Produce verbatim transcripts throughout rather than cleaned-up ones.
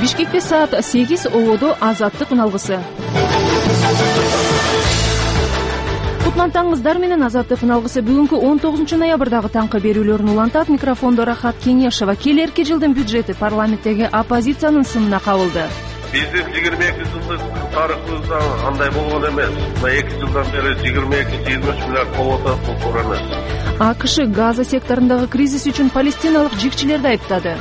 Бишкекте саат сегиз ободо Азаттык үналгысы. Кутлантаңыздар менен Азаттык үналгысы бүгүнкү он тогузунчу ноябрдагы таңкы берүүлөрүн улантат. Микрофондо Рахат Кеңешова. Келерки жылдын бюджети парламенттеги оппозициянын сынына кабылды. Биздин жыйырма эки жылдык тарыхыбызда андай болгон эмес. Мына эки жылдан бери жыйырма эки жыйырма үч миллиард болуп атат, бул туура эмес. АКШ Газа секторундагы кризис үчүн палестиналык жигчилерди айыптады.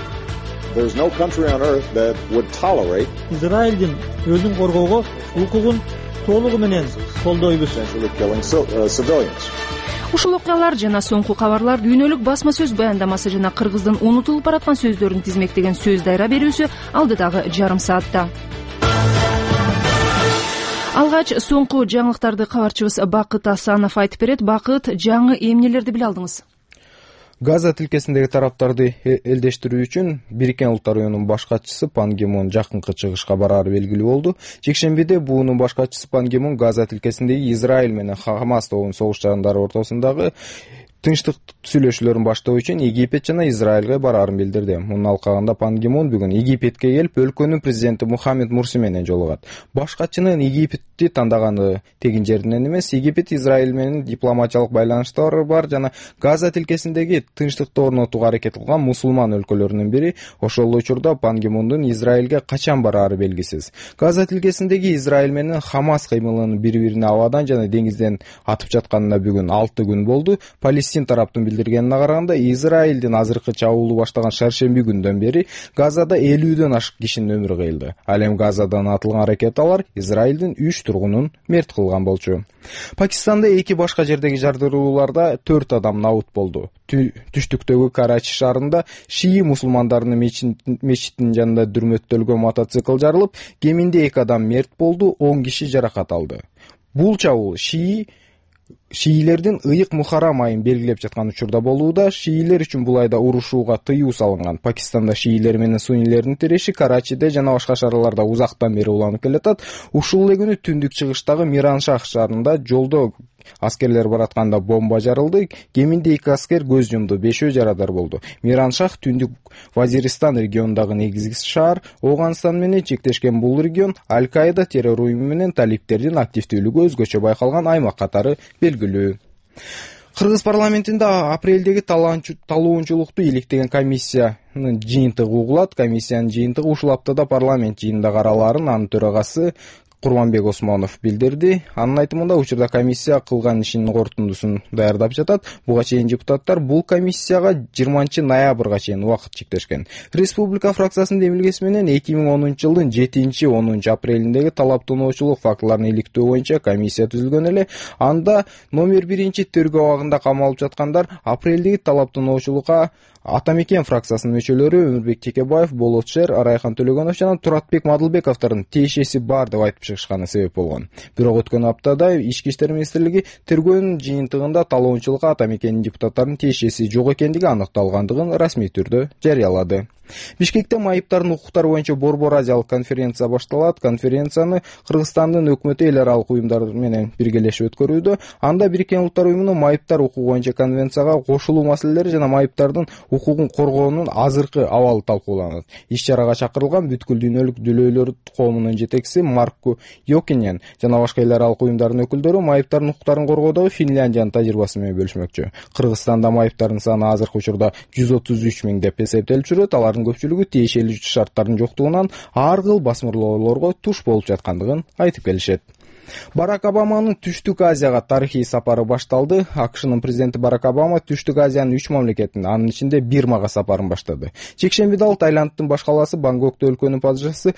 Израилдин өзүн коргоого укугун толугу менен колдойбуз. Ушул окуялар жана соңку кабарлар дүйнөлүк басма сөз баяндамасы жана кыргыздын унутулуп бараткан сөздөрүн тизмектеген сөз дайра берүүсү алдыдагы жарым саатта. Алгач соңку жаңылыктарды кабарчыбыз Бакыт Асанов айтып берет. Бакыт, жаңы эмнелерди биле алдыңыз? Газа тилкесиндеги тараптарды элдештирүү үчүн Бириккен Улуттар Уюмунун баш катчысы Пан Ги Мун жакынкы чыгышка бараары белгилүү болду. Жекшембиде буунун баш катчысы Пан Ги Мун Газа тилкесиндеги Израиль менен Хамас тобунун согуш-чарындары ортосундагы тынчтык сүйлөшүүлөрүн баштоо үчүн Египет жана Израилге бараарын билдирди. Мунун алкагында Пан Ги Мун бүгүн Египетке келип, өлкөнүн президенти Мухаммед Мурси менен жолугат. Баш катчынын Египетти тандаганы тегин жеринен эмес, Египет Израиль менен дипломатиялык байланыштары бар жана Газа тилкесиндеги тынчтыкты орнотууга аракет кылган мусулман өлкөлөрүнүн бири. Ошол учурда Пан Ги Мундун Израилге качан бараары белгисиз. Газа тилкесиндеги Израиль менен Хамас кыймылынын бири-бирине абадан жана деңизден атып жатканына бүгүн алты күн болду. Палестин тараптын билдиргенине караганда, Израилдин азыркы чабуулу баштаган шаршемби күндөн бери Газада элүүдөн ашык кишинин өмүрү кыйылды. Ал эми Газадан атылган ракеталар Израилдин үч тургунун мерт кылган болчу. Пакистанда эки башка жердеги жардырууларда төрт адам набут болду. Түштүктөгү Карачи шаарында шии мусулмандарынын мечитинин жанында дүрмөттөлгөн мотоцикл жарылып, кеминде эки адам мерт болду, он киши жаракат алды. Бул чабуул шии Шиилердин ыйык Мухаррам айын белгилеп жаткан учурда болууда. Шиилер үчүн бул айда урушууга тыюу салынган. Пакистанда шиилер менен суннилердин тиреши Карачиде жана башка шаарларда узактан бери уланып келатат. Ушул эле күнү түндүк чыгыштагы Мираншах шаарында жолдо аскерлер баратканда бомба жарылды. Кеминде эки аскер көз жумду, бешөө жарадар болду. Мираншах түндүк Вазиристан регионундагы негизги шаар. Ооганстан менен чектешкен бул регион Аль-Каида террор уюму менен талиптердин активдүүлүгү өзгөчө байкалган аймак катары белгилүү. Кыргыз парламентинде апрелдеги талоончулукту иликтеген комиссиянын жыйынтыгы угулат. Комиссиянын жыйынтыгы ушул аптада парламент жыйынында каралаарын анын төрагасы Курманбек Осмонов билдирди. Анын айтымында учурда комиссия кылган ишинин корутундусун даярдап жатат. Буга чейин депутаттар бул комиссияга жыйырманчы ноябрга чейин убакыт чектешкен. Республика фракциясынын демилгеси менен эки миң онунчу жылдын жетинчи онунчу апрелиндеги талаптануучулук фактыларын иликтөө боюнча комиссия түзүлгөн эле. Анда номер биринчи тергөө абагында камалып жаткандар апрелдеги талаптануучулукка Атамекен фракциясынын мүчөлөрү Өмүрбек Текебаев, Болот Шер, Арайхан Төлөгөнов жана Туратбек Мадылбековдордун тиешеси бар деп айтып чыгышканы себеп болгон. Бирок өткөн аптада Ички иштер министрлиги тергөөнүн жыйынтыгында талоончулукка Атамекенин депутаттарынын тиешеси жок экендиги аныкталгандыгын расмий түрдө жарыялады. Бишкекте майыптардын укуктары боюнча Борбор Азиялык конференция башталат. Конференцияны Кыргызстандын өкмөтү эл аралык уюмдар менен биргелешип өткөрүүдө. Анда Бириккен Улуттар Уюмунун майыптар укугу боюнча конвенцияга кошулуу маселелери жана майыптардын укугун коргоонун азыркы абалы талкууланат. Иш-чарага чакырылган бүткүл дүйнөлүк дүлөйлөр коомунун жетекчиси Маркку Йокинен жана башка эл аралык уюмдардын өкүлдөрү майыптардын укуктарын коргоодогу Финляндиянын тажрыйбасы менен бөлүшмөкчү. Кыргызстанда майыптардын саны азыркы учурда жүз отуз үч миң деп эсептелип жүрөт. Алардын көпчүлүгү тиешелүү шарттардын жоктугунан ар кыл басмырлоолорго туш болуп жаткандыгын айтып келишет. Барак Обаманын Түштүк Азияга тарыхый сапары башталды. АКШнын президенти Барак Обама Түштүк Азиянын үч мамлекетин, анын ичинде Бирмага сапарын баштады. Чекшембиде ал Таиландтын баш калаасы Бангкокто өлкөнүн падышасы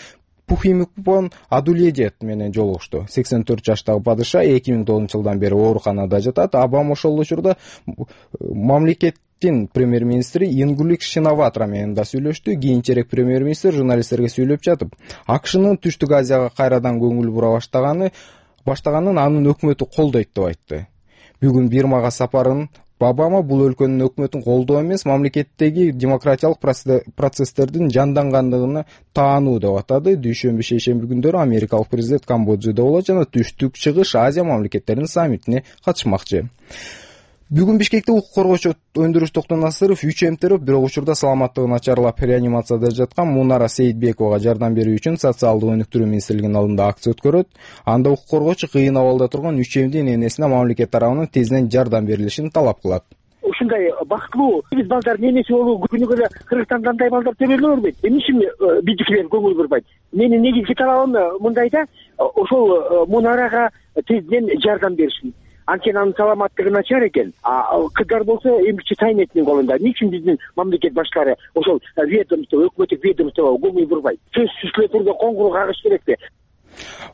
Пухимикпон Адуледет менен жолугушту. сексен төрт жаштагы падыша эки миң тогузунчу жылдан бери ооруканада жатат. Обама ошол учурда мамлекет премьер-министри Ингулик Шинаватра менен да сүйлөштү. Кийинчерээк премьер-министр журналисттерге сүйлөп жатып, АКШнын Түштүк Азияга кайрадан көңүл бура баштаганы баштаганын анын өкмөтү колдойт деп айтты. Бүгүн Бирмага сапарын Обама бул өлкөнүн өкмөтүн колдоо эмес, мамлекеттеги демократиялык процесстердин жандангандыгына таануу деп атады. Дүйшөмбү шейшемби күндөрү америкалык президент Камбоджада болот жана Түштүк Чыгыш Азия мамлекеттеринин саммитине катышмакчы. Бүгүн Бишкекте укук коргоочу Өндүрүш Токтонасыров үч эмтерип, бирок учурда саламаттыгы начарлап реанимацияда жаткан Мунара Сейитбековага жардам берүү үчүн социалдык өнүктүрүү министрлигинин алдында акция өткөрөт. Анда укук коргоочу кыйын абалда турган үч эмдин энесине мамлекет тарабынан тезинен жардам берилишин талап кылат. Ушундай бактылуу биз балдардын энеси болуу күнүгө эле Кыргызстанда андай балдар төбөлө бербейт. Эмне үчүн биздикилер көңүл бурбайт? Менин негизги талабым мындайда ошол Мунарага тезинен жардам беришин. Анткени анын саламаттыгы начар экен. Кыздар болсо эмгичи тайнетинин колунда. Эмне үчүн биздин мамлекет башкалары ошол ведомство, өкмөттүк ведомствого көңүл бурбайт? Сөзсүз түрдө коңгуроо кагыш керекпи?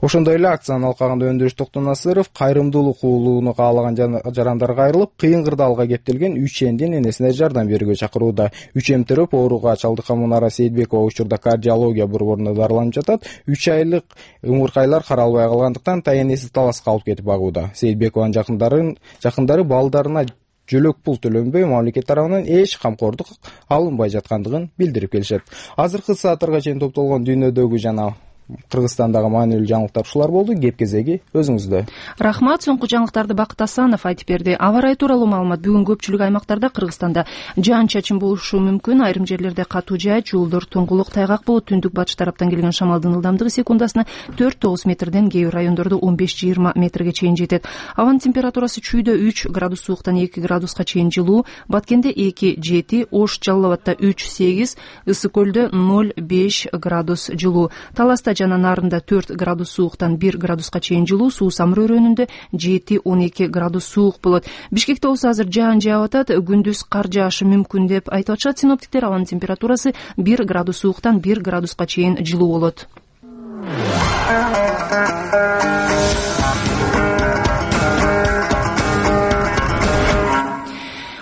Ошондой эле акциянын алкагында Өндүрүш Токтонасыров кайрымдуулук уулууну каалаган жарандарга айрылып, кыйын кырдаалга кептелген үч эмдин энесине жардам берүүгө чакырууда. Үч эмтерип ооруга чалдыккан Мунара Сейитбекова учурда кардиология борборунда дарыланып жатат. үч айлык ымыркайлар каралбай калгандыктан таянеси таласка алып кетип агууда. Сейитбекованын жакындары жакындары балдарына жөлөк пул төлөнбөй, мамлекет тарабынан эч камкордук алынбай жаткандыгын билдирип келишет. Азыркы сааттарга чейин топтолгон дүйнөдөгү жана Кыргызстандагы маанилүү жаңылыктар ушулар болду. Кеп кезеги өзүңүздө. Рахмат. Соңку жаңылыктарды Бакыт Асанов айтып берди. Аба ырайы тууралуу маалымат. Бүгүн көпчүлүк аймактарда Кыргызстанда жаан чачын болушу мүмкүн. Айрым жерлерде катуу жай, жолдор тоңгулук, тайгак болот. Түндүк батыш тараптан келген шамалдын ылдамдыгы секундасына төрт тогуз метрден, кээ бир райондордо он беш жыйырма метрге чейин жетет. Абанын температурасы чүйдө үч градус сууктан эки градуска чейин жылуу, Баткенде эки жети, Ош Жалал Абадта үч сегиз, Ысык көлдө ноль беш градус жылуу. Таласта жана Нарында төрт градус сууктан бир градуска чейин жылуу, Суу Самыр өрөөнүндө жети он эки градус суук болот. Бишкекте болсо азыр жаан жаап атат, күндүз кар жаашы мүмкүн деп айтып атышат синоптиктер. Абанын температурасы бир градус сууктан бир градуска чейин жылуу болот.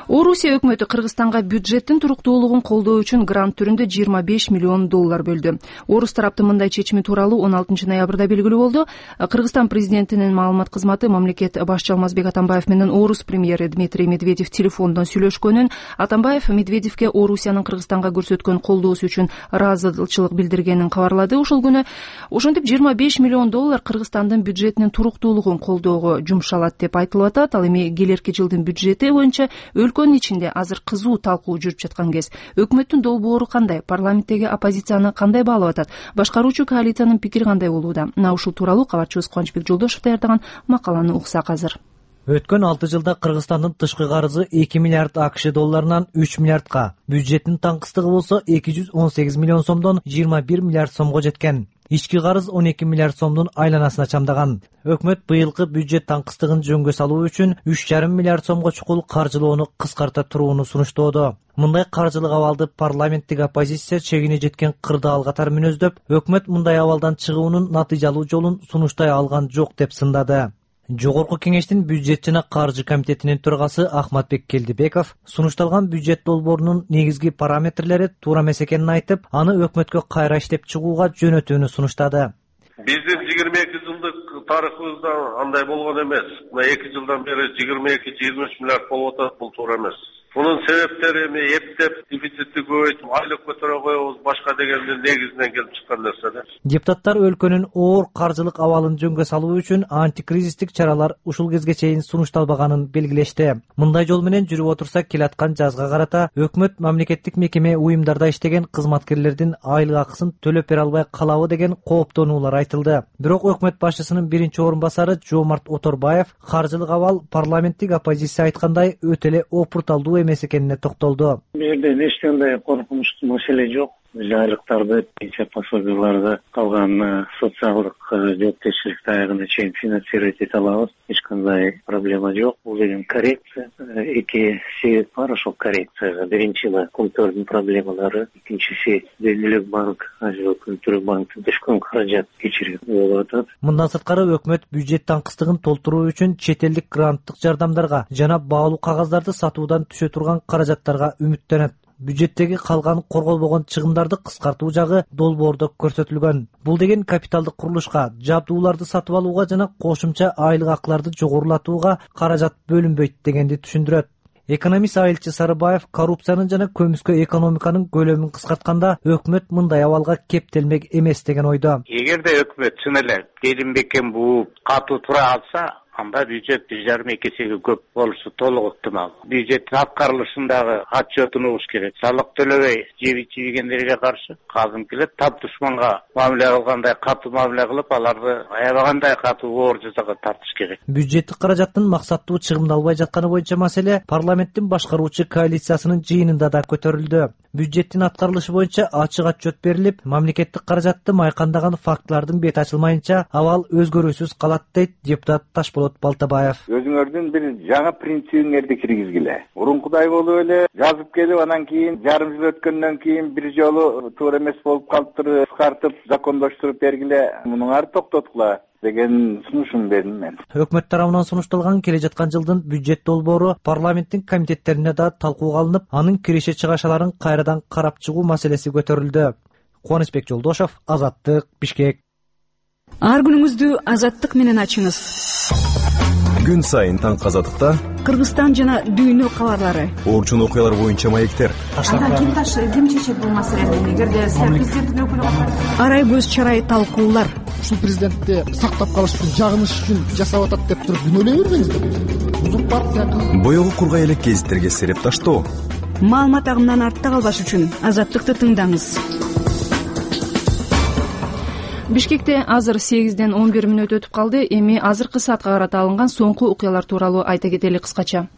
Орусия өкмөтү Кыргызстанга бюджеттин туруктуулугун колдоо үчүн грант түрүндө жыйырма беш миллион доллар бөлдү. Орус тараптын мындай чечими тууралуу он алтынчы ноябрда белгилүү болду. Кыргызстан президентинин маалымат кызматы мамлекет башчы Алмазбек Атамбаев менен Орус премьери Дмитрий Медведев телефондон сүйлөшкөнүн, Атамбаев Медведевке Орусиянын Кыргызстанга көрсөткөн колдоосу үчүн ыраазычылык билдиргенин кабарлады. Ошол күнү ошентип жыйырма беш миллион доллар Кыргызстандын бюджетинин туруктуулугун колдоого жумшалат деп айтылып атат. Ал эми келерки жылдын бюджети боюнча өлкөнүн ичинде азыр кызуу талкуу жүрүп жаткан кез. Өкмөттүн долбоору кандай? Парламенттеги оппозицияны кандай баалап атат? Башкаруучу коалициянын пикири кандай болууда? Мына ушул тууралуу кабарчыбыз Кубанычбек Жолдошев даярдаган макаланы уксак азыр. Өткөн алты жылда Кыргызстандын тышкы карызы эки миллиард АКШ долларынан үч миллиардка, бюджеттин таңкыстыгы болсо эки жүз он сегиз миллион сомдон жыйырма бир миллиард сомго жеткен. Ички карыз он эки миллиард сомдун айланасына чамдаган. Өкмөт быйылкы бюджет таңкыстыгын жөнгө салуу үчүн үч жарым миллиард сомго чукул каржылоону кыскарта турууну сунуштоодо. Мындай каржылык абалды парламенттик оппозиция чегине жеткен кырдаал катары мүнөздөп, өкмөт мындай абалдан чыгуунун натыйжалуу жолун сунуштай алган жок деп сындады. Жогорку кеңештин бюджет жана каржы комитетинин төрагасы Ахматбек Келдибеков сунушталган бюджет долбоорунун негизги параметрлери туура эмес экенин айтып, аны өкмөткө кайра иштеп чыгууга жөнөтүүнү сунуштады. Биздин жыйырма эки жылдык тарыхыбызда андай болгон эмес. Мына эки жылдан бери жыйырма эки жыйырма үч миллиард болуп атат, бул туура эмес. Bunun sebeптери эми эптеп дефицитти көбөйтүп, айлык көтөрө коебуз, башка дегендин негизинен келип чыккан нерсе. Депутаттар өлкөнүн оор каржылык абалын жөнгө салуу үчүн антикризистик чаралар ушул кезге чейин сунушталбаганын белгилешти. Мындай жол менен жүрүп отурса, келаткан жазга карата өкмөт мамлекеттик мекеме уюмдарда иштеген кызматкерлердин айлык акысын төлөп бере албай калабы деген кооптонуулар айтылды. Бирок өкмөт башчысынын биринчи орун басары Жомарт Оторбаев каржылык абал парламенттик оппозиция айткандай өтө эле опурталдуу эмес экенине токтолду. Бул жерде эч кандай коркунучтуу маселе жок. Жайлыктарды, пенсия пособияларды, калган социалдык жоопкерчиликти аягына чейин финансировать эте алабыз. Эч кандай проблема жок. Бул деген коррекция. Эки себеп бар ошол коррекцияга. Биринчи контордун проблемалары, экинчиси Дүниелик банк, Азия өлкөлүк банктын түшкөн каражат кечирүү болуп атат. Мындан сырткары өкмөт бюджет таңкыстыгын толтуруу үчүн чет элдик гранттык жардамдарга жана баалуу кагаздарды сатуудан түшө турган каражаттарга үмүттөнөт. Бюджеттеги калган корголбогон чыгымдарды кыскартуу жагы долбоордо көрсөтүлгөн. Бул деген капиталдык курулушка, жабдууларды сатып алууга жана кошумча айлык акыларды жогорулатууга каражат бөлүнбөйт дегенди түшүндүрөт. Экономист Айылчы Сарыбаев коррупциянын жана көмүскө экономиканын көлөмүн кыскартканда өкмөт мындай абалга кептелмек эмес деген ойдо. Эгерде өкмөт чын эле келин бекем бууп катуу тура алса, анда бюджет бир жарым эки эсеге көп болушу толук ыктымал. Бюджеттин аткарылышындагы отчетунубуз керек. Салык төлөбөй жеби чийгендерге каршы кадимки эле тап душманга мамиле кылгандай катуу мамиле кылып, аларды аябагандай катуу оор жазага тартыш керек. Бюджеттик каражаттын максаттуу чыгымдалбай жатканы боюнча маселе парламенттин башкаруучу коалициясынын жыйынында да көтөрүлдү. Бюджеттин аткарылышы боюнча ачык отчет берилип, мамлекеттик каражатты майкандаган фактылардын бети ачылмайынча абал өзгөрүүсүз калат дейт депутат Ташболот Балтабаев. Өзүңөрдүн бир жаңы принцибиңерди киргизгиле. Мурункудай болуп эле жазып келип, анан кийин жарым жыл өткөндөн кийин бир жолу туура эмес болуп калыптыр, кыскартып, закондоштуруп бергиле. Мунуңарды токтоткула деген сунушум бердим мен. Өкмөт тарабынан сунушталган келе жаткан жылдын бюджет долбоору парламенттин комитеттерине да талкууга алынып, анын киреше чыгашаларын кайрадан карап чыгуу маселеси көтөрүлдү. Кубанычбек Жолдошов, Азаттык, Бишкек. Ар күнүңүздү Азаттык менен ачыңыз. Күн сайын таң Азаттыкта Кыргызстан жана дүйнө кабарлары. Орчун окуялар боюнча маектер. Анда ким ташты, ким чечет бул маселени? Эгерде сиз президенттин өкүлү болсоңуз, арай көз чарай талкуулар. Ушул президентти сактап калыш үчүн, жагыныш үчүн жасап атат деп туруп күнөөлөй бербеңиздер. Бузук партия. Боёгу кургай элек гезиттерге сереп таштоо. Маалымат агымынан артта калбаш үчүн Азаттыкты тыңдаңыз. Бишкекте азыр сегизден он бир мүнөт өтүп калды. Эми азыркы саатка карата алынган соңку окуялар тууралуу айта кетели кыскача.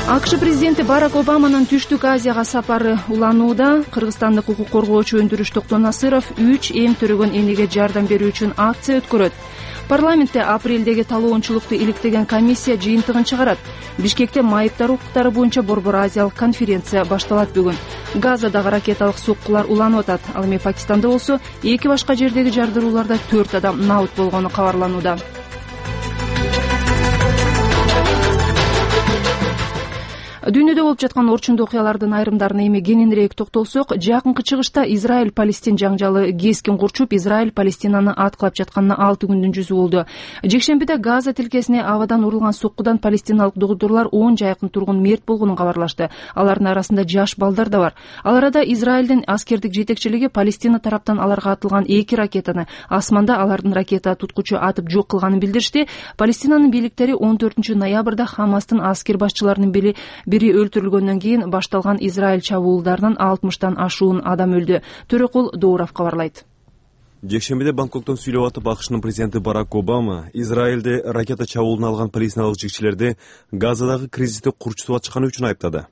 АКШ президенти Барак Обаманын Түштүк Азияга сапары уланууда. Кыргызстандык укук коргоочу өндүрүш Токтон Насыров үч эм төрөгөн энеге жардам берүү үчүн акция өткөрөт. Парламентте апрелдеги талоончулукту иликтеген комиссия жыйынтыгын чыгарат. Бишкекте майыптар укуктары боюнча Борбор Азиялык конференция башталат бүгүн. Газадагы ракеталык соккулар уланып атат. Ал эми Пакистанда болсо эки башка жердеги жардырууларда төрт адам набыт болгону кабарланууда. Дүйнөдө болуп жаткан орчундуу окуялардын айрымдарына эми кененирээк токтолсок, жакынкы чыгышта Израиль-Палестин жаңжалы кескин курчуп, Израиль Палестинаны аткылап жатканына алты күндүн жүзү болду. Жекшембиде Газа тилкесине абадан урулган соккудан палестиналык докторлор он жайкын тургун мерт болгонун кабарлашты. Алардын арасында жаш балдар да бар. Ал арада Израилдин аскердик жетекчилиги Палестина тараптан аларга атылган эки ракетаны асманда алардын ракета туткучу атып жок кылганын билдиришти. Палестинанын бийликтери он төртүнчү ноябрда Хамастын аскер башчыларынын бири бири өлтүрүлгөндөн кийин башталган Израиль чабуулдарынан алтымыштан ашуун адам өлдү. Төрөкул Доуров кабарлайт. Жекшембиде Бангкоктон сүйлөп атып, АКШнын президенти Барак Обама Израилде ракета чабуулун алган палестиналык жигчилерди Газадагы кризисти курчутуп атышканы үчүн айыптады.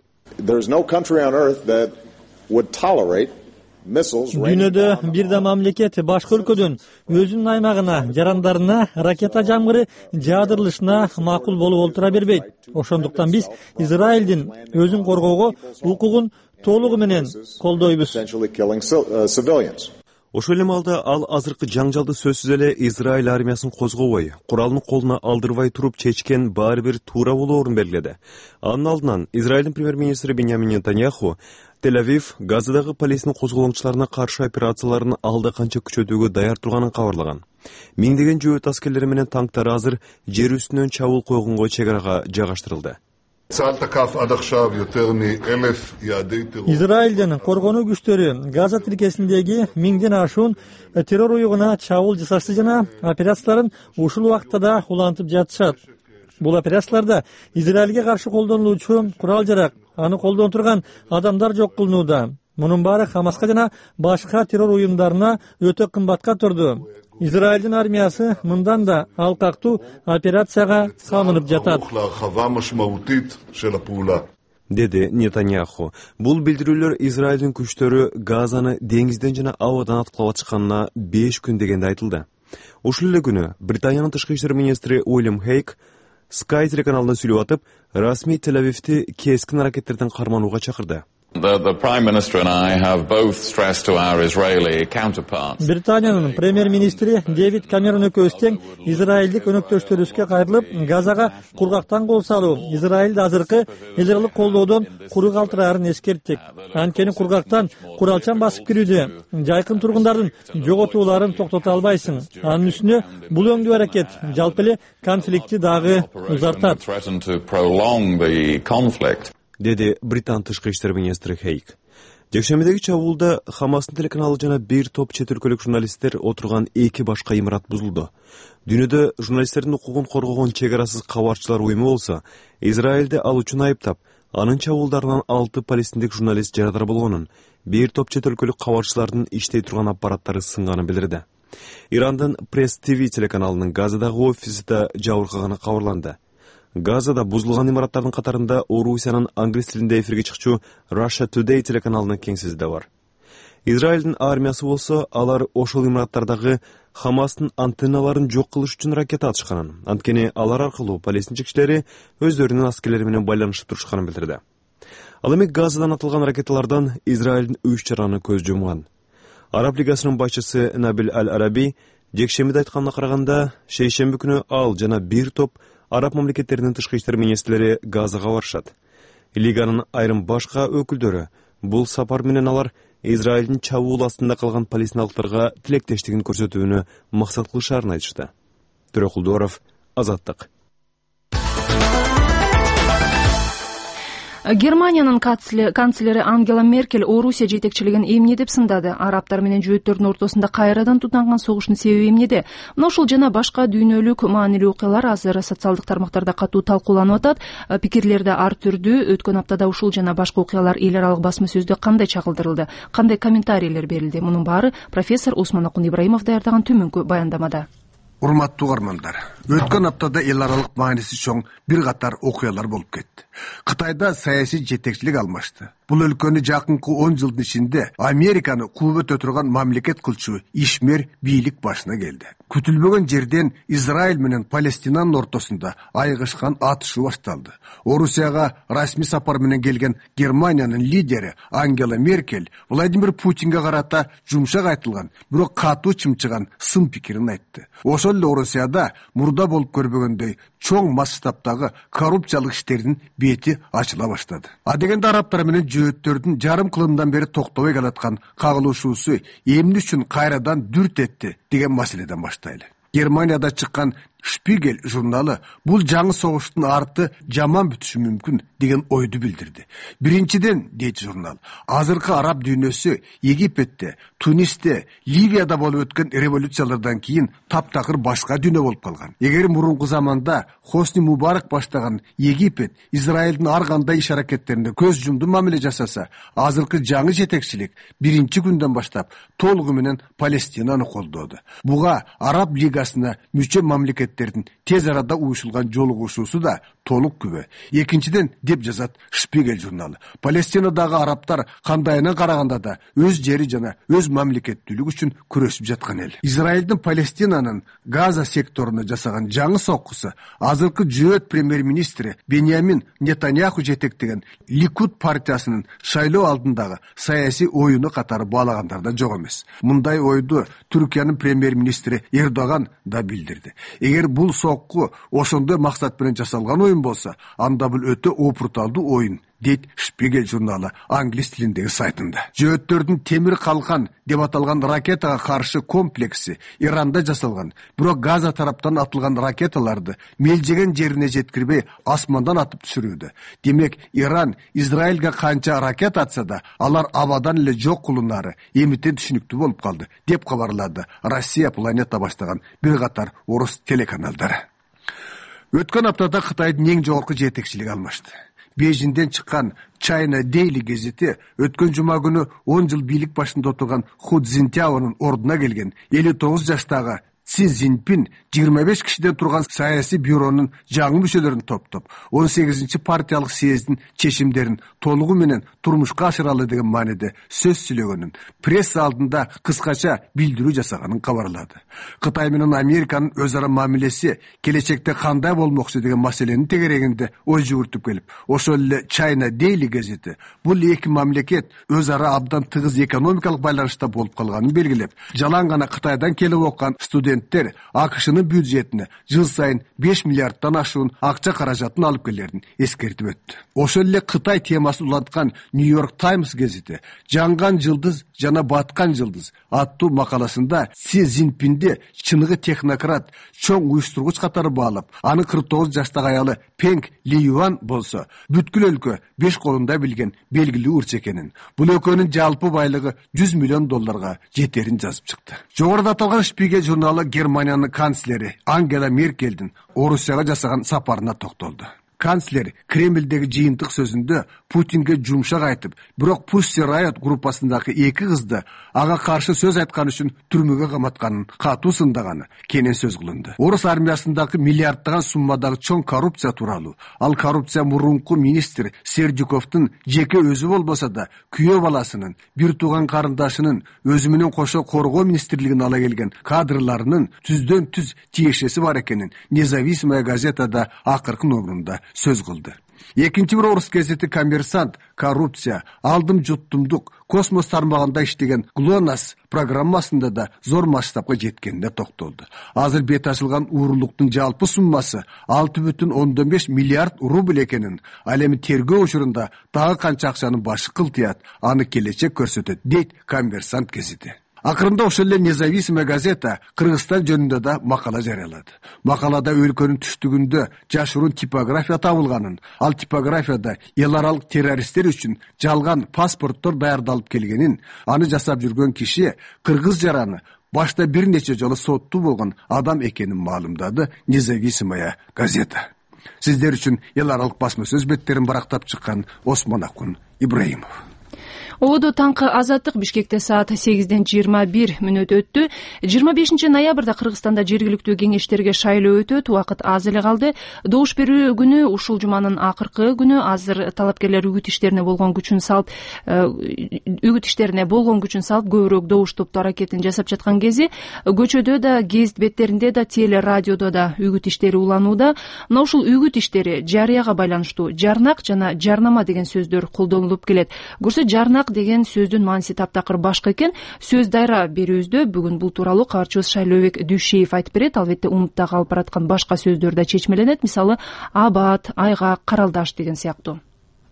Дүйнөдө бир да мамлекет башка өлкөдөн өзүнүн аймагына, жарандарына ракета жамгыры жаадырылышына макул болуп олтура бербейт. Ошондуктан биз Израилдин өзүн коргоого укугун толугу менен колдойбуз. Ошол эле маалда ал азыркы жаңжалды сөзсүз эле Израиль армиясын козгобой, куралын колуна алдырбай туруп чечкен баары бир туура болоорун белгиледи. Анын алдынан Израилдин премьер-министри Беньямин Нетаньяху Тель-Авив Газадагы Палестина козголоңчуларына каршы операцияларын алда канча күчөтүүгө даяр турганын кабарлаган. Миңдеген жөөт аскерлери менен танктар азыр жер үстүнөн чабуул койгонго чегарага жайгаштырылды. Израилдин коргонуу күчтөрү Газа тилкесиндеги миңден ашуун террор уюгуна чабуул жасашты жана операцияларын ушул убакытта да улантып жатышат. Бул операцияларда Израилге каршы колдонулуучу курал жарак, аны колдон турган адамдар жок кылынууда. Мунун баары Хамаска жана башка террор уюмдарына өтө кымбатка турду. Израилдин армиясы мындан да алкактуу операцияга салынып жатат, деди Нетаньяху. Бул билдирүүлөр Израилдин күчтөрү Газаны деңизден жана абадан аткылап атышканына беш күн дегенде айтылды. Ушул эле күнү Британиянын тышкы иштер министри Уильям Хейк Sky телеканалында сүйлөп атып, расмий Тель-Авивди кескин аракеттерден карманууга чакырды. Британиянын премьер-министри Дэвид Камерон экөөбүз тең израилдик өнөктөштөрүбүзгө кайрылып, Газага кургактан кол салуу, Израилди азыркы элдерлик колдоодон куру калтыраарын эскерттик. Анткени кургактан куралчан басып кирүүдө жайкын тургундардын жоготууларын токтото албайсың. Анын үстүнө бул өңдүү аракет жалпы эле конфликтти дагы узартат, деди Британ тышкы иштер министри Хейк. Жекшембидеги чабуулда Хамастын телеканалы жана бир топ чет өлкөлүк журналисттер отурган эки башка имарат бузулду. Дүйнөдө журналисттердин укугун коргогон чек арасыз кабарчылар уюму болсо, Израилди ал үчүн айыптап, анын чабуулдарынан алты палестиндик журналист жарадар болгонун, бир топ чет өлкөлүк кабарчылардын иштей турган аппараттары сынганын билдирди. Ирандын Пресс ТВ телеканалынын Газадагы офиси да жабыркаганы кабарланды. Газада бузулган имараттардын катарында Орусиянын англис тилинде эфирге чыкчу Russia Today телеканалынын кеңсеси да бар. Израилдин армиясы болсо, алар ошол имараттардагы Хамастын антенналарын жок кылыш үчүн ракета атышканын, анткени алар аркылуу палестинче кишилери өздөрүнүн аскерлери менен байланышып турушканын билдирди. Ал эми Газадан атылган ракеталардан Израилдин үч жараны көз жумган. Араб лигасынын башчысы Набил Аль-Араби жекшембиде айтканына караганда, шейшемби күнү ал жана бир топ араб мамлекеттеринин тышкы иштер министрлери Газага барышат. Лиганын айрым башка өкүлдөрү бул сапар менен алар Израилдин чабуул астында калган палестиналыктарга тилектештигин көрсөтүүнү максат кылышарын айтышты. Төрөкулдуаров, Азаттык. Германиянын канцлери Ангела Меркель Орусия жетекчилигин эмне деп сындады? Арабтар менен жөөттөрдүн ортосунда кайрадан тутанган согуштун себеби эмнеде? Мына ушул жана башка дүйнөлүк маанилүү окуялар азыр социалдык тармактарда катуу талкууланып атат. Пикирлерди ар түрдүү. Өткөн аптада ушул жана башка окуялар эл аралык басма сөздө кандай чагылдырылды? Кандай комментарийлер берилди? Мунун баары профессор Усманакун Ибраимов даярдаган төмөнкү баяндамада. Урматтуу угармандар, өткөн аптада эл аралык мааниси чоң бир катар окуялар болуп кетти. Кытайда саясий жетекчилик алмашты. Бул өлкөнү жакынкы он жылдын ичинде Американы куубөтө турган мамлекет кылчу ишмер бийлик башына келди. Күтүлбөгөн жерден Израиль менен Палестинанын ортосунда айгышкан атышуу башталды. Орусияга расмий сапар менен келген Германиянын лидери Ангела Меркель Владимир Путинге карата жумшак айтылган, бирок катуу чымчыган сын пикирин айтты. Ошол эле Орусияда мурда болуп көрбөгөндөй чоң масштабтагы коррупциялык иштердин бети ачыла баштады. А дегенде арабтар менен жөөттөрдүн жарым кылымдан бери токтобой келаткан кагылышуусу эмне үчүн кайрадан дүрт этти деген маселеден баштайлы. Германияда чыккан Шпигель журналы бул жаңы согуштун арты жаман бүтүшү мүмкүн деген ойду билдирди. Биринчиден, дейт журнал, азыркы араб дүйнөсү Египетте, Тунисте, Ливияда болуп өткөн революциялардан кийин таптакыр башка дүйнө болуп калган. Эгер мурунку заманда Хосни Мубарак баштаган Египет Израилдин ар кандай иш аракеттеринде көз жумду мамиле жасаса, азыркы жаңы жетекчилик биринчи күндөн баштап толугу менен Палестинаны колдоду. Буга Араб лигасына мүчө мамлекет тез арада уюшулган жолугушуусу да толук күбө. Экинчиден, деп жазат Шпигель журналы, Палестинадагы арабтар кандайына караганда да өз жери жана өз мамлекеттүүлүгү үчүн күрөшүп жаткан эл. Израилдин Палестинанын Газа секторуна жасаган жаңы соккусу азыркы жөөт премьер-министри Беньямин Нетаньяху жетектеген Ликуд партиясынын шайлоо алдындагы саясий оюну катары баалагандарда жок эмес. Мындай ойду Түркиянын премьер-министри Эрдоган да билдирди. Эгер бул сокку ошондой максат менен жасалган оюн болсо, анда бул өтө опурталдуу оюн, дейт Шпигель журналы англис тилиндеги сайтында. Жөөттөрдүн темир калкан деп аталган ракетага каршы комплекси Иранда жасалган, бирок Газа тараптан атылган ракеталарды мелжеген жерине жеткирбей асмандан атып түшүрүүдө. Демек, Иран Израилге канча ракета атса да, алар абадан эле жок кылуунары эмитен түшүнүктүү болуп калды, деп кабарлады Россия Планета баштаган бир катар орус телеканалдары. Өткөн аптада Кытайдын эң жогорку жетекчилиги алмашты. Бейжиңден чыккан China Daily газети өткөн жума күнү он жыл бийлик башында отурган Ху Цзиньтяонун ордуна келген элүү тогуз жаштагы Си Цзиньпин жыйырма беш кишиден турган саясий бюронун жаңы мүчөлөрүн топтоп, он сегизинчи партиялык съездин чечимдерин толугу менен турмушка ашыралы деген мааниде сөз сүйлөгөнүн пресса алдында кыскача билдирүү жасаганын кабарлады. Кытай менен Американын өз ара мамилеси келечекте кандай болмокчу деген маселенин тегерегинде ой жүгүртүп келип, ошол эле China Daily газети бул эки мамлекет өз ара абдан тыгыз экономикалык байланышта болуп калганын белгилеп, жалаң гана Кытайдан келип оккан студент студенттер АКШнын бюджетине жыл сайын беш миллиарддан ашуун акча каражатын алып келерин эскертип өттү. Ошол эле Кытай темасын уланткан Нью-Йорк Таймс гезити «Жанган жылдыз жана баткан жылдыз» аттуу макаласында Си Цзиньпинди чыныгы технократ, чоң уюштургуч катары баалап, анын кырк тогуз жаштагы аялы Пенг Лиюан болсо бүткүл өлкө беш колунда билген белгилүү ырчы экенин, бул экөөнүн жалпы байлыгы жүз миллион долларга жетерин жазып чыкты. Жогоруда аталган Шпигель журналы Германиянын канцлери Ангела Меркельдин Орусияга жасаган сапарына токтолду. Канцлер Кремлдеги жыйынтык сөзүндө Путинге жумшак айтып, бирок Pussy Riot группасындагы эки кызды ага каршы сөз айткан үчүн түрмөгө каматканын катуу сындаганы кенен сөз кылынды. Орус армиясындагы миллиарддаган суммадагы чоң коррупция тууралуу, ал коррупция мурунку министр Сердюковдун жеке өзү болбосо да күйөө баласынын, бир тууган карындашынын, өзү менен кошо коргоо министрлигин ала келген кадрларынын түздөн түз тиешеси бар экенин Независимая газетада акыркы номерунда сөз кылды. Экинчи бир орус газети Коммерсант коррупция, алдым жуттумдук, космос тармагында иштеген ГЛОНАСС программасында да зор масштабка жеткенине токтолду. Азыр бет ачылган уурулуктун жалпы суммасы алты бүтүн ондон беш миллиард рубль экенин, ал эми тергөө учурунда дагы канча акчанын башы кылтыят, аны келечек көрсөтөт, дейт Коммерсант газети. Акырында ошол эле Независимая газета Кыргызстан жөнүндө да макала жарыялады. Макалада өлкөнүн түштүгүндө жашыруун типография табылганын, ал типографияда эл аралык террористтер үчүн жалган паспорттор даярдалып келгенин, аны жасап жүргөн киши кыргыз жараны башта бир нече жолу соттуу болгон адам экенин маалымдады Независимая газета. Сиздер үчүн эл аралык басма сөз беттерин барактап чыккан Осмон Акун Ибраимов. Ободо таңкы азаттык Бишкекте саат сегизден жыйырма бир мүнөт өттү. жыйырма бешинчи ноябрда Кыргызстанда жергиликтүү кеңештерге шайлоо өтөт. Убакыт аз эле калды. Добуш берүү күнү ушул жуманын акыркы күнү. Азыр талапкерлер үгүт иштерине болгон күчүн салып, үгүт иштерине болгон күчүн салып, көбүрөөк добуш топтоо аракетин жасап жаткан кези, көчөдө да, гезит беттеринде да, теле радиодо да үгүт иштери уланууда. Мына ушул үгүт иштери жарыяга байланыштуу жарнак жана жарнама деген сөздөр колдонулуп келет. Көрсө жарнак деген сөздүн мааниси таптакыр башка экен. Сөз дайра берүүбүздө бүгүн бул тууралуу каарчыбыз Шайлообек Дүйшеев айтып берет. Албетте умутта калып бараткан башка сөздөр да чечмеленет. Мисалы абат, айгак, каралдаш деген сыяктуу.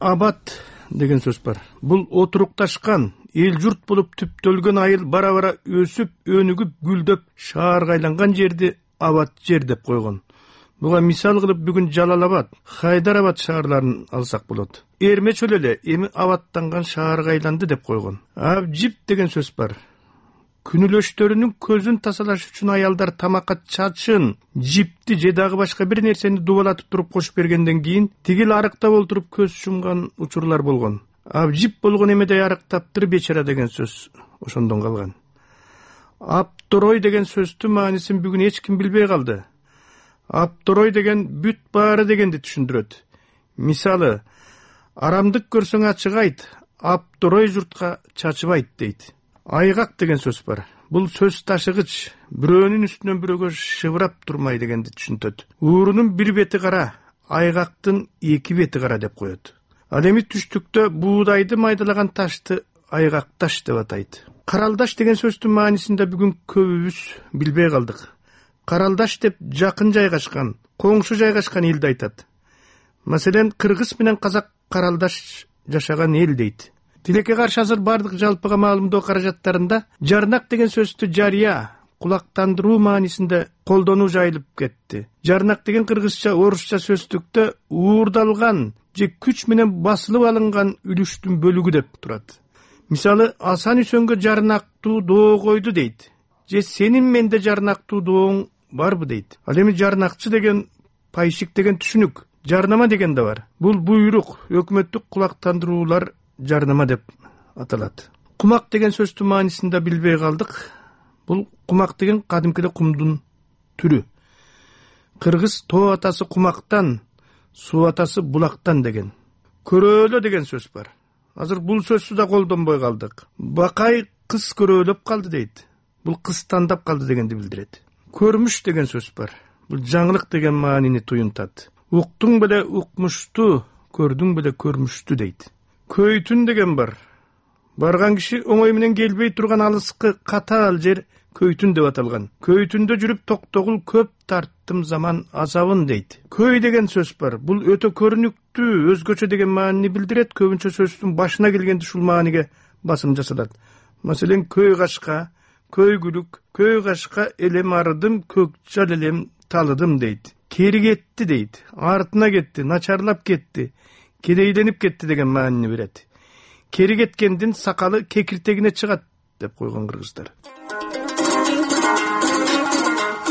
Абат деген сөз бар. Бул отурукташкан, эл журт болуп түптөлгөн айыл бара-бара өсүп, өнүгүп, гүлдөп, шаарга айланган жерди абат жер деп койгон. Буга мисал кылып бүгүн Жалал-Абад, Хайдарабад шаарларын алсак болот. Эрмеч эле эми абаттанган шаарга айланды деп койгон. Абжип деген сөз бар. Күнүлөштөрүнүн көзүн тазалаш үчүн аялдар тамакка чачын, жипти же дагы башка бир нерсени дубалатып туруп кошуп бергенден кийин тигил арыктап олтуруп көз жумган учурлар болгон. Абжип болгон эмедей арыктаптыр бечара деген сөз ошондон калган. Апторой деген сөздүн маанисин бүгүн эч ким билбей калды. Апторой деген бүт баары дегенди түшүндүрөт. Мисалы, арамдык көрсөң ачык айт, апторой журтка чачыбайт дейт. Айгак деген сөз бар. Бул сөз ташыгыч, бирөөнүн үстүнөн бирөөгө шыбырап турмай дегенди түшүнтөт. Уурунун бир бети кара, айгактын эки бети кара деп коет. Ал эми түштүктө буудайды майдалаган ташты айгак таш деп атайт. Каралдаш деген сөздүн маанисин да бүгүн көбүбүз билбей калдык. Каралдаш деп жакын жайгашкан, коңшу жайгашкан элди айтат. Маселен, кыргыз менен казак каралдаш жашаган эл дейт. Тилекке каршы азыр бардык жалпыга маалымдоо каражаттарында жарнак деген сөздү жарыя, кулактандыруу маанисинде колдонуу жайылып кетти. Жарнак деген кыргызча, орусча сөздүктө уурдалган же күч менен басылып алынган үлүштүн бөлүгү деп турат. Мисалы, Асан Үсөнгө жарнактуу доо койду дейт. Же сенин менде жарнактуу дооң барбы дейт. Ал эми жарнакчы деген пайшик деген түшүнүк, жарнама деген да бар. Бул буйрук, өкмөттүк кулактандыруулар жарнама деп аталат. Кумак деген сөздүн маанисин да билбей калдык. Бул кумак деген кадимкиде кумдун түрү. Кыргыз тоо атасы кумактан, суу атасы булактан деген. Көрөөлө деген сөз бар. Азыр бул сөздү да колдонбой калдык. Бакай кыз көрөөлөп калды дейт. Бул кыз тандап калды дегенди билдирет. Көрмүш деген сөз бар. Бул жаңылык деген маанини туюнтат. Уктуң беле укмушту, көрдүң беле көрмүштү дейт. Көйтүн деген бар. Барган киши оңой менен келбей турган алыскы катаал жер Көйтүн деп аталган. Көйтүндө жүрүп токтогул көп тарттым заман азабын дейт. Көй деген сөз бар. Бул өтө көрүнүктүү, өзгөчө деген маанини билдирет. Көбүнчө сөздүн башына келгенде ушул мааниге басым жасалат. Маселен, көй кашка, көйгүлүк, көй кашка элем арыдым, көкжал элем талыдым дейт. Кери кетти дейт. Артына кетти, начарлап кетти, кедейленип кетти деген маанини берет. Кери кеткендин сакалы кекиртегине чыгат деп койгон кыргыздар.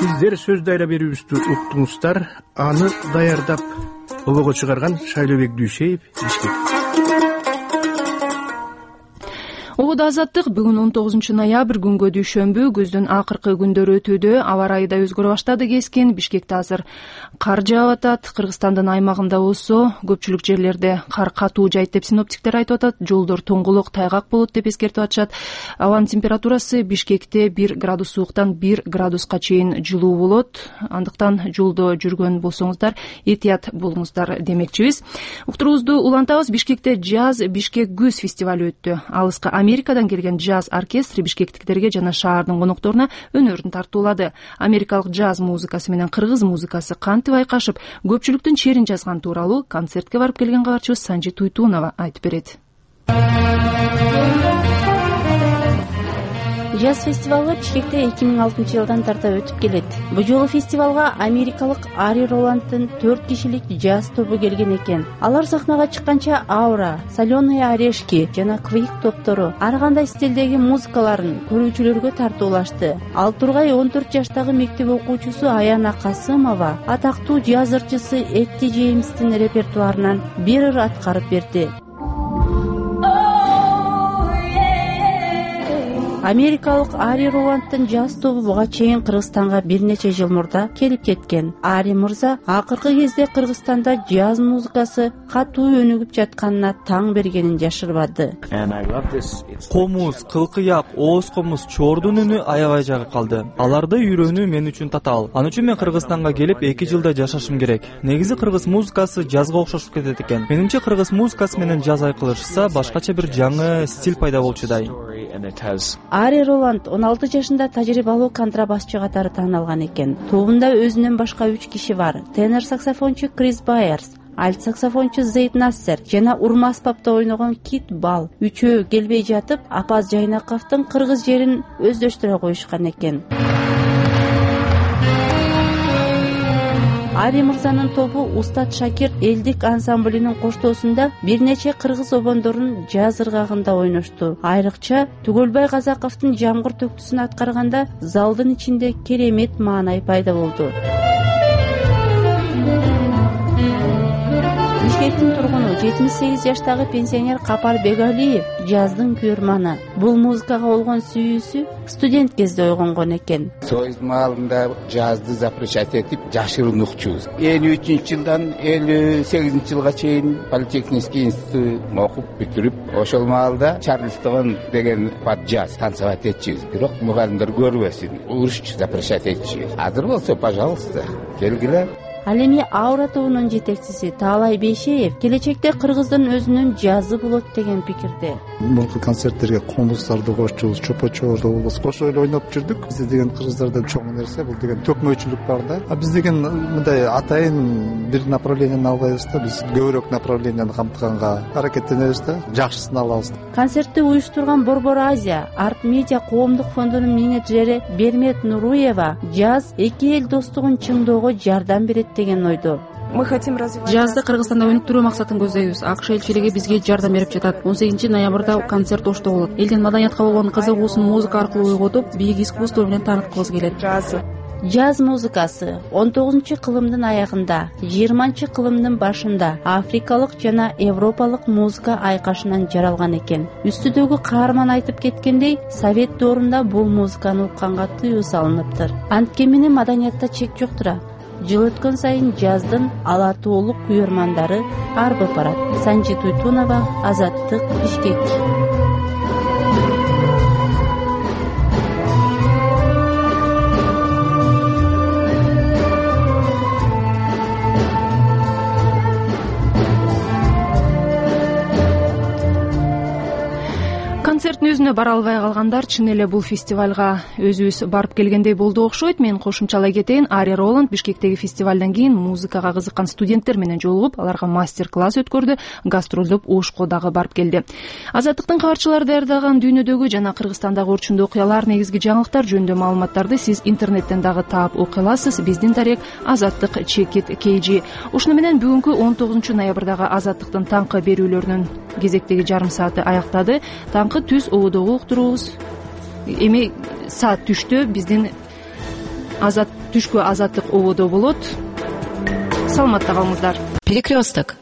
Сиздер сөз дайра берүүбүздү уктуңуздар. Аны даярдап обого чыгарган Шайлообек Дүйшеев, Бишкек. Ободо азаттык бүгүн он тогузунчу ноябрь күнгө дүйшөмбү, көздүн акыркы күндөрү өтүүдө, аба ырайы да өзгөрө баштады кескен. Бишкекте азыр кар жаап атат. Кыргызстандын аймагында болсо көпчүлүк жерлерде кар катуу жайт деп синоптиктер айтып атат. Жолдор тоңголок, тайгак болот деп эскертип атышат. Абанын температурасы Бишкекте бир градус сууктан бир градуска чейин жылуу болот. Андыктан жолдо жүргөн болсоңуздар этият болуңуздар демекчибиз. Уктуруубузду улантабыз. Бишкекте Джаз Бишкек Күз фестиваль өттү. Алыска Америкадан келген джаз оркестри бишкектиктерге жана шаардын конокторуна өнөрүн тартуулады. Америкалык джаз музыкасы менен кыргыз музыкасы кантип айкашып, көпчүлүктүн черин жазган тууралуу концертке барып келген кабарчыбыз Санжи Туйтунова айтып берет. Джаз фестивалы Бишкекте эки миң алтынчы жылдан тарта өтүп келет. Бул жолу фестивалга америкалык Ари Роланддын төрт кишилик джаз тобу келген экен. Алар сахнага чыкканча Аура, Соленые орешки жана Квик топтору ар кандай стилдеги музыкаларын көрүүчүлөргө тартуулашты. Ал Тургай он төрт жаштагы мектеп окуучусу Аяна Касымова атактуу джаз ырчысы Этти Джеймстин репертуарынан бир ыр аткарып берди. Америкалык Ари Роланддын джаз тобу буга чейин Кыргызстанга бир нече жыл мурда келип кеткен. Ари мырза акыркы кезде Кыргызстанда джаз музыкасы катуу өнүгүп жатканына таң бергенин жашырбады. Комуз, кылкыяк, ооз комуз, чордун үнү аябай жагып калды. Аларды үйрөнүү мен үчүн татаал. Ал үчүн мен Кыргызстанга келип эки жылда жашашым керек. Негизи кыргыз музыкасы джазга окшошуп кетет экен. Менимче кыргыз музыкасы менен джаз айкылышса башкача бир жаңы стиль пайда болчудай. Ари Роланд он алты жашында тажрыйбалуу контрабасчы катары тааналган экен. Тобунда өзүнөн башка үч киши бар. Тенор саксофончу Крис Байерс, альт саксофончу Зейд Нассер жана урма аспапта ойногон Кит Бал. Үчөө келбей жатып, Апаз Жайнаковдун кыргыз жерин өздөштүрө коюшкан экен. Ари мырзанын тобу Устат Шакир элдик ансамблинин коштоосунда бир нече кыргыз обондорун джаз ыргагында ойношту. Айрыкча Түгөлбай Казаковдун Жамгыр төктүсүн аткарганда залдын ичинде керемет маанай пайда болду. Бишкектин тургуну жетимиш сегиз жаштагы пенсионер Капар Бегалиев джаздын күйөрманы. Бул музыкага болгон сүйүүсү студент кезде ойгонгон экен. Союз маалында джазды запрещать этип жашырын укчубуз. элүү үчүнчү жылдан элүү сегизинчи жылга чейин политехнический институт окуп бүтүрүп, ошол маалда Чарльстон деген под джаз танцевать этчүбүз. Бирок мугалимдер көрбөсүн, уруш запрещать этчүбүз. Азыр болсо, пожалуйста, келгиле. Ал эми Аура тобунун жетекчиси Таалай Бейшеев келечекте кыргыздын өзүнүн джазы болот деген пикирде. Мурунку концерттерге комуздарды кошчубуз, чопочорду болбосо кошо эле ойноп жүрдүк. Биз деген кыргыздарда чоң нерсе бул деген төкмөчүлүк бар да. А биз деген мындай атайын бир направленияны албайбыз да, биз көбүрөөк направленияны камтыганга аракеттенебиз да, жакшысын алабыз. Концертти уюштурган Борбор Азия Арт Медиа коомдук фондунун менеджери Бермет Нуруева джаз эки эл достугун чыңдоого жардам берет деген ойдо. Мы хотим развивать джазды Кыргызстанда өнүктүрүү максатын көздөйбүз. АКШ элчилиги бизге жардам берип жатат. он сегизинчи ноябрда концерт Ошто болот. Элдин маданиятка болгон кызыгуусун музыка аркылуу ойготуп, бийик искусство менен тааныткыбыз келет. Джаз музыкасы он тогузунчу кылымдын аягында, жыйырманчы кылымдын башында африкалык жана европалык музыка айкашынан жаралган экен. Үстүдөгү каарман айтып кеткендей, Совет доорунда бул музыканы укканга тыюу салыныптыр. Анткени маданиятта чек жоктур. Жыл өткөн сайын джаздын ала тоолук күйөрмандары арбып барат. Санжи Туйтунова, Азаттык, Бишкек. Концерттин өзүнө бара албай калгандар чын эле бул фестивалга өзүбүз барып келгендей болду окшойт. Мен кошумчалай кетейин. Ари Роланд Бишкектеги фестивалдан кийин музыкага кызыккан студенттер менен жолугуп, аларга мастер-класс өткөрдү, гастролдоп Ошко дагы барып келди. Азаттыктын кабарчылары даярдаган дүйнөдөгү жана Кыргызстандагы орчундуу окуялар, негизги жаңылыктар жөнүндө маалыматтарды сиз интернеттен дагы таап окуй аласыз. Биздин дарек Азаттык чекит kg. Ушуну менен бүгүнкү он тогузунчу ноябрдагы Азаттыктын таңкы берүүлөрүнүн кезектеги жарым сааты аяктады. Таңкы түз ободогу уктуруубуз. Эми саат түштө биздин азат түшкү Азаттык ободо болот. Саламатта калыңыздар. Перекресток.